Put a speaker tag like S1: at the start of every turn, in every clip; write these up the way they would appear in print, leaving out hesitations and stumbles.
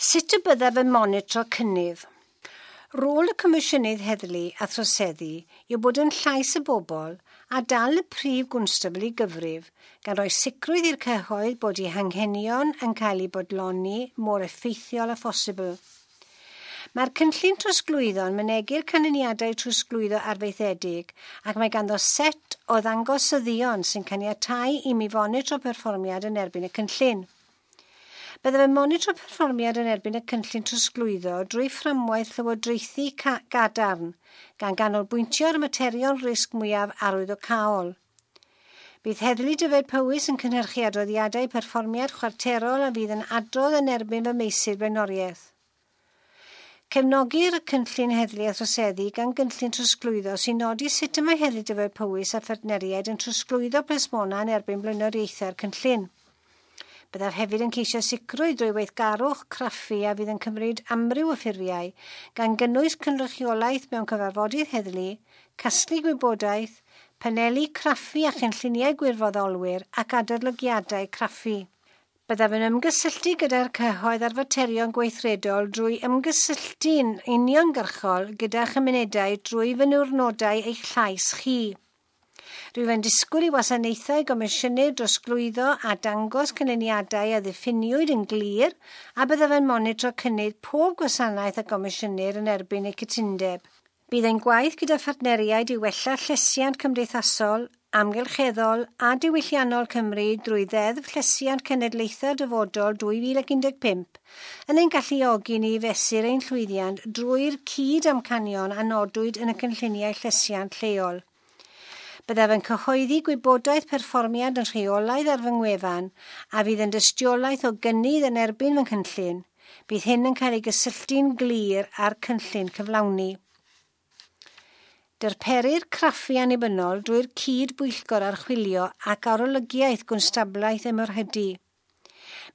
S1: Sut y byddaf yn monitro cynnydd? Rôl y Comisiynydd Heddlu a Throseddu yw bod yn llais y bobl a dal y prif gwnstabl i gyfrif, gan roi sicrwydd i'r cyhoedd bod eu hanghenion yn cael eu bodloni mor effeithiol â phosibl. Mae'r cynllun trosglwyddo yn mynegi'r canlyniadau trosglwyddo arfaethedig ac mae ganddo set o ddangosyddion sy'n caniatáu i mi fonitro perfformiad yn erbyn y cynllun. Byddaf yn monitro perfformiad yn erbyn y cynllun trosglwyddo drwy fframwaith llywodraethu gadarn, gan ganolbwyntio ar y materion risg mwyaf arwyddocaol. Bydd Heddlu Dyfed Powys yn cynhyrchu adroddiadau perfformiad chwarterol a fydd yn adrodd yn erbyn fy meysydd blaenoriaeth. Cefnogir y cynllun heddlu a throseddu gan gynllun trosglwyddo sy'n nodi sut y mae Heddlu Dyfed Powys a phartneriaid yn trosglwyddo plismona yn erbyn blaenoriaethau'r cynllun. Byddaf hefyd yn ceisio sicrwydd drwy weithgarwch craffu a fydd yn cymryd amryw o ffurfiau, gan gynnwys cynrychiolaeth mewn cyfarfodydd heddlu, casglu gwybodaeth, paneli craffu a chynlluniau gwirfoddolwyr ac adolygiadau craffu. Byddaf yn ymgysylltu gyda'r cyhoedd ar faterion gweithredol drwy ymgysylltu'n uniongyrchol gyda chymunedau drwy fy niwrnodau eich llais chi. Rwyf yn disgwyl i wasanaethau gomisiynu drosglwyddo a dangos canlyniadau a ddiffiniwyd yn glir a byddaf yn monitro cynnydd pob gwasanaeth a gomisiynir yn erbyn eu cytundeb. Bydd ein gwaith gyda phartneriaid i wella llesiant cymdeithasol, amgylcheddol a diwylliannol Cymru drwy Ddeddf Llesiant Cenedlaethau'r Dyfodol 2015 yn ein galluogi ni i fesur ein llwyddiant drwy'r cyd-amcanion a nodwyd yn y cynlluniau llesiant lleol. Byddaf yn cyhoeddi gwybodaeth perfformiad yn rheolaidd ar fy ngwefan a fydd yn dystiolaeth o gynnydd yn erbyn fy nghynllun. Bydd hyn yn cael ei gysylltu'n glir â'r cynllun cyflawni. Darperir craffu annibynnol drwy'r cyd-bwyllgor archwilio ac arolygiaeth gwnstabliaeth ymyrhydu.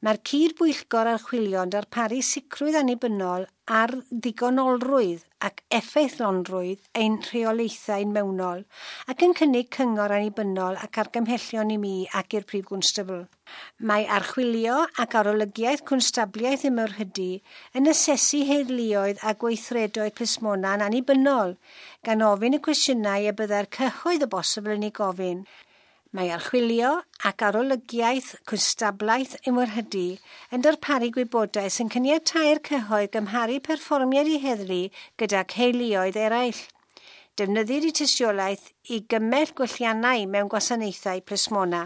S1: Mae'r cyd-bwyllgor archwilio yn darparu sicrwydd annibynnol ar ddigonolrwydd ac effeithlonrwydd ein rheolaethau mewnol ac yn cynnig cyngor annibynnol ac argymhellion i mi ac i'r prif gwnstabl. Mae archwilio ac arolygiaeth cwnstabliaeth ymyrhydu yn asesu heddluoedd a gweithredoedd plismona'n annibynnol, gan ofyn y cwestiynau y byddai'r cyhoedd o bosibl yn ei gofyn. Mae archwilio ac arolygiaeth cwnstablaeth ymwrhydu yn darparu gwybodaeth sy'n caniatáu'r cyhoedd gymharu perfformiad i heddlu gyda heuluoedd eraill. Defnyddir y tystiolaeth i gymell gwelliannau mewn gwasanaethau plismona.